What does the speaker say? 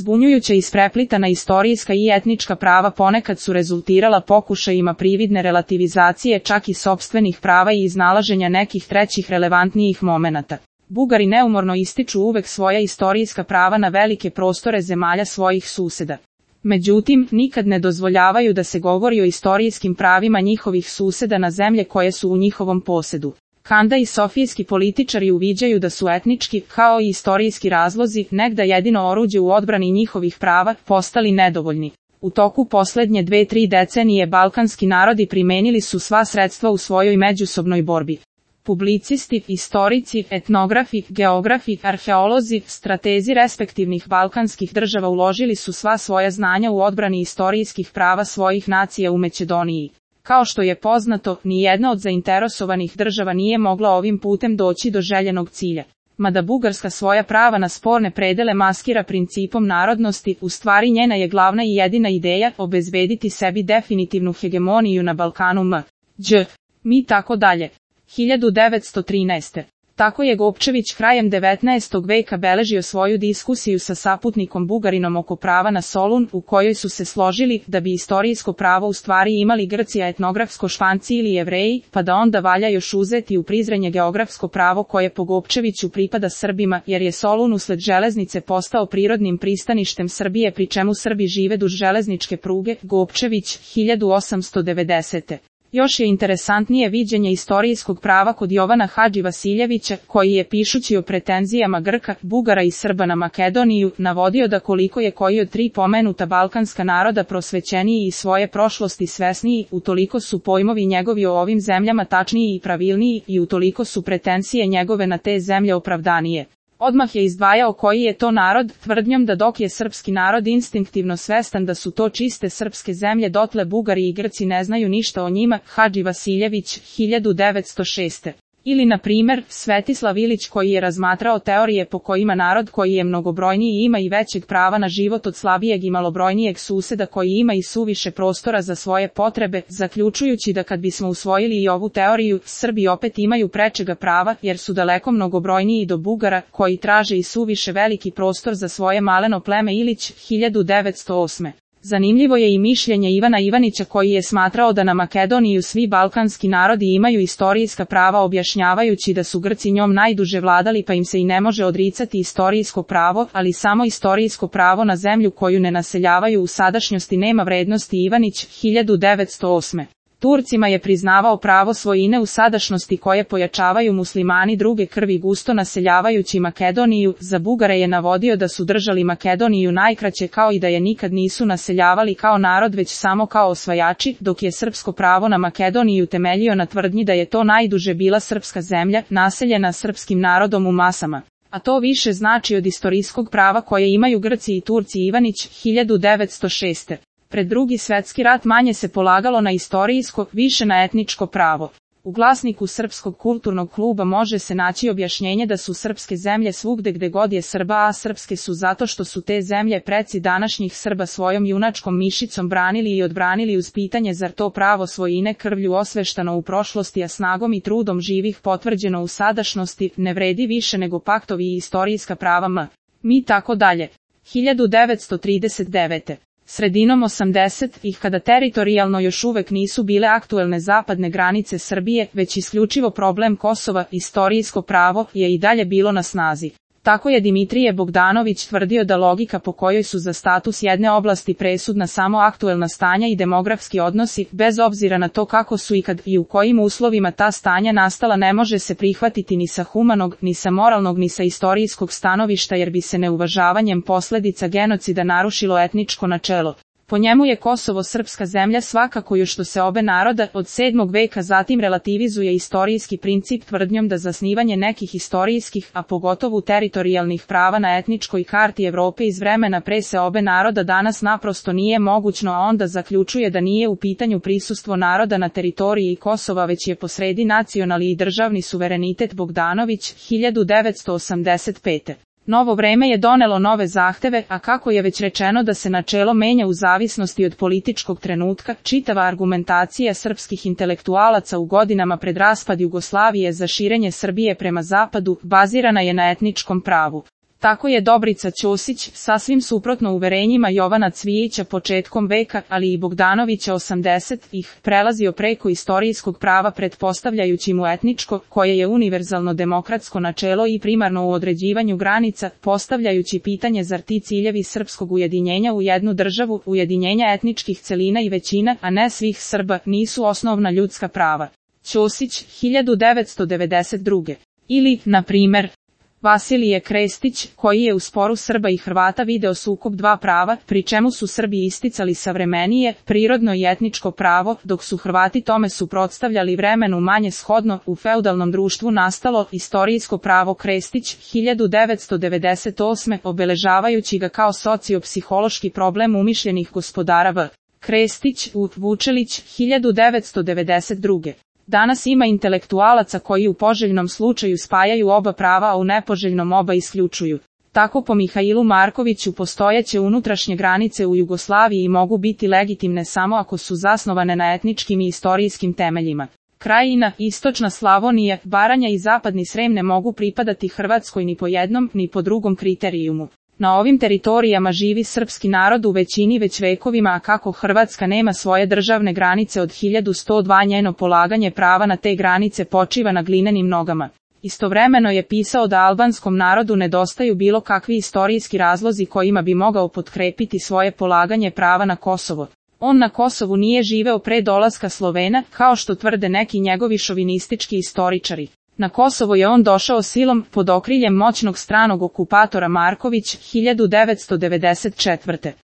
Zbunjujuća ispreplitana istorijska i etnička prava ponekad su rezultirala pokušajima prividne relativizacije čak i sopstvenih prava i iznalaženja nekih trećih relevantnijih momenata. Bugari neumorno ističu uvek svoja istorijska prava na velike prostore zemalja svojih suseda. Međutim, nikad ne dozvoljavaju da se govori o istorijskim pravima njihovih suseda na zemlje koje su u njihovom posedu. Kanda i sofijski političari uviđaju da su etnički, kao i istorijski razlozi, negda jedino oruđe u odbrani njihovih prava, postali nedovoljni. U toku poslednje 2-3 decenije balkanski narodi primenili su sva sredstva u svojoj međusobnoj borbi. Publicisti, istorici, etnografi, geografi, arheolozi, stratezi respektivnih balkanskih država uložili su sva svoja znanja u odbrani istorijskih prava svojih nacija u Makedoniji. Kao što je poznato, ni jedna od zainteresovanih država nije mogla ovim putem doći do željenog cilja. Mada Bugarska svoja prava na sporne predele maskira principom narodnosti, u stvari njena je glavna i jedina ideja obezbediti sebi definitivnu hegemoniju na Balkanu mi tako dalje. 1913. Tako je Gopčević krajem 19. veka beležio svoju diskusiju sa saputnikom Bugarinom oko prava na Solun, u kojoj su se složili da bi istorijsko pravo u stvari imali Grci, a etnografsko Španci ili Jevreji, pa da onda valja još uzeti u prizrenje geografsko pravo koje po Gopčeviću pripada Srbima, jer je Solun usled železnice postao prirodnim pristaništem Srbije, pri čemu Srbi žive duž železničke pruge. Gopčević, 1890. Još je interesantnije viđenje istorijskog prava kod Jovana Hadži Vasiljevića, koji je pišući o pretenzijama Grka, Bugara i Srba na Makedoniju, navodio da koliko je koji od 3 pomenuta balkanska naroda prosvećeniji i svoje prošlosti svesniji, utoliko su pojmovi njegovi o ovim zemljama tačniji i pravilniji i utoliko su pretenzije njegove na te zemlje opravdanije. Odmah je izdvajao koji je to narod, tvrdnjom da dok je srpski narod instinktivno svestan da su to čiste srpske zemlje, dotle Bugari i Grci ne znaju ništa o njima. Hadži Vasiljević, 1906. Ili, na primer, Svetislav Ilić, koji je razmatrao teorije po kojima narod koji je mnogobrojniji ima i većeg prava na život od slabijeg i malobrojnijeg suseda koji ima i suviše prostora za svoje potrebe, zaključujući da kad bismo usvojili i ovu teoriju, Srbi opet imaju prečega prava, jer su daleko mnogobrojniji do Bugara, koji traže i suviše veliki prostor za svoje maleno pleme. Ilić, 1908. Zanimljivo je i mišljenje Ivana Ivanića, koji je smatrao da na Makedoniju svi balkanski narodi imaju istorijska prava, objašnjavajući da su Grci njom najduže vladali pa im se i ne može odricati istorijsko pravo, ali samo istorijsko pravo na zemlju koju ne naseljavaju u sadašnjosti nema vrednosti. Ivanić, 1908. Turcima je priznavao pravo svojine u sadašnjosti koje pojačavaju muslimani druge krvi gusto naseljavajući Makedoniju. Za Bugare je navodio da su držali Makedoniju najkraće, kao i da je nikad nisu naseljavali kao narod već samo kao osvajači, dok je srpsko pravo na Makedoniju temeljio na tvrdnji da je to najduže bila srpska zemlja, naseljena srpskim narodom u masama. A to više znači od istorijskog prava koje imaju Grci i Turci. Ivanić, 1906. Pred Drugi svjetski rat manje se polagalo na istorijsko, više na etničko pravo. U glasniku Srpskog kulturnog kluba može se naći objašnjenje da su srpske zemlje svugde gde god je Srba, a srpske su zato što su te zemlje preci današnjih Srba svojom junačkom mišicom branili i odbranili uz pitanje zar to pravo svojine krvlju osveštano u prošlosti, a snagom i trudom živih potvrđeno u sadašnjosti, ne vredi više nego paktovi i istorijska prava mi tako dalje. 1939. Sredinom 80-ih, kada teritorijalno još uvek nisu bile aktuelne zapadne granice Srbije, već isključivo problem Kosova, istorijsko pravo je i dalje bilo na snazi. Tako je Dimitrije Bogdanović tvrdio da logika po kojoj su za status jedne oblasti presudna samo aktuelna stanja i demografski odnosi, bez obzira na to kako su i kad i u kojim uslovima ta stanja nastala, ne može se prihvatiti ni sa humanog, ni sa moralnog, ni sa istorijskog stanovišta, jer bi se neuvažavanjem posledica genocida narušilo etničko načelo. Po njemu je Kosovo srpska zemlja svakako još što se obe naroda od 7. veka, zatim relativizuje istorijski princip tvrdnjom da zasnivanje nekih istorijskih, a pogotovo teritorijalnih prava na etničkoj karti Evrope iz vremena pre se obe naroda danas naprosto nije mogućno, a onda zaključuje da nije u pitanju prisustvo naroda na teritoriji Kosova, već je posredi nacionalni i državni suverenitet. Bogdanović, 1985. Novo vreme je donelo nove zahteve, a kako je već rečeno da se načelo menja u zavisnosti od političkog trenutka, čitava argumentacija srpskih intelektualaca u godinama pred raspad Jugoslavije za širenje Srbije prema zapadu, bazirana je na etničkom pravu. Tako je Dobrica Ćosić, sasvim suprotno uverenjima Jovana Cvijića početkom veka, ali i Bogdanovića 80-ih, prelazio preko istorijskog prava pretpostavljajući mu etničko, koje je univerzalno demokratsko načelo i primarno u određivanju granica, postavljajući pitanje zar ti ciljevi srpskog ujedinjenja u jednu državu, ujedinjenja etničkih celina i većina, a ne svih Srba, nisu osnovna ljudska prava. Ćosić, 1992. Ili, na primer, Vasilije Krestić, koji je u sporu Srba i Hrvata video sukob dva prava, pri čemu su Srbi isticali savremenije, prirodno i etničko pravo, dok su Hrvati tome suprotstavljali vremenu manje shodno, u feudalnom društvu nastalo istorijsko pravo. Krestić, 1998. obeležavajući ga kao sociopsihološki problem umišljenih gospodara V. Krestić, U. Vučelić, 1992. Danas ima intelektualaca koji u poželjnom slučaju spajaju oba prava, a u nepoželjnom oba isključuju. Tako po Mihailu Markoviću postojeće unutrašnje granice u Jugoslaviji mogu biti legitimne samo ako su zasnovane na etničkim i istorijskim temeljima. Krajina, istočna Slavonija, Baranja i zapadni Srem ne mogu pripadati Hrvatskoj ni po jednom, ni po drugom kriterijumu. Na ovim teritorijama živi srpski narod u većini već vekovima, a kako Hrvatska nema svoje državne granice od 1102, njeno polaganje prava na te granice počiva na glinenim nogama. Istovremeno je pisao da albanskom narodu nedostaju bilo kakvi istorijski razlozi kojima bi mogao potkrepiti svoje polaganje prava na Kosovo. On na Kosovu nije živeo pre dolaska Slovena, kao što tvrde neki njegovi šovinistički istoričari. Na Kosovo je on došao silom, pod okriljem moćnog stranog okupatora Marković, 1994.